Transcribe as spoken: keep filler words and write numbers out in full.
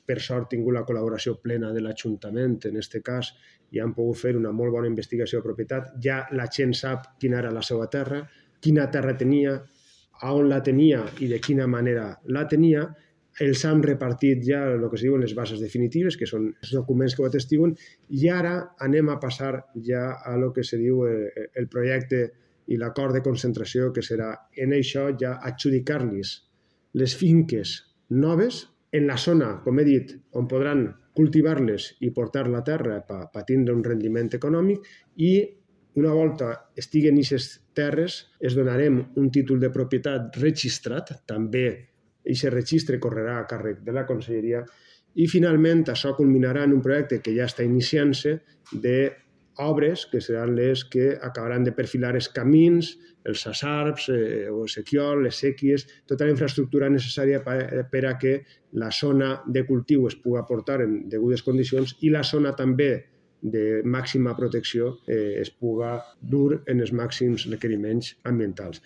per sort, tingut la col·laboració plena de l'Ajuntament, en aquest cas, i han pogut fer una molt bona investigació de propietat. Ja la gent sap quina era la seva terra, quina terra tenia, on la tenia i de quina manera la tenia. Els han repartit ja el que es diuen les bases definitives, que són els documents que ho atestiguen, i ara anem a passar ja a lo que se diu el projecte i l'acord de concentració, que serà en això ja adjudicar-los les finques noves en la zona, com he dit, on podran cultivar-les i portar la terra per tindre un rendiment econòmic, i una volta estiguen aquestes terres es donarem un títol de propietat registrat, també aquest registre correrà a càrrec de la Conselleria, i finalment això culminarà en un projecte que ja està iniciant-se d'obres que seran les que acabaran de perfilar els camins, els sassarps, el sequiol, les séquies, tota la infraestructura necessària per a que la zona de cultiu es pugui portar en degudes condicions i la zona també de màxima protecció es pugui dur en els màxims requeriments ambientals.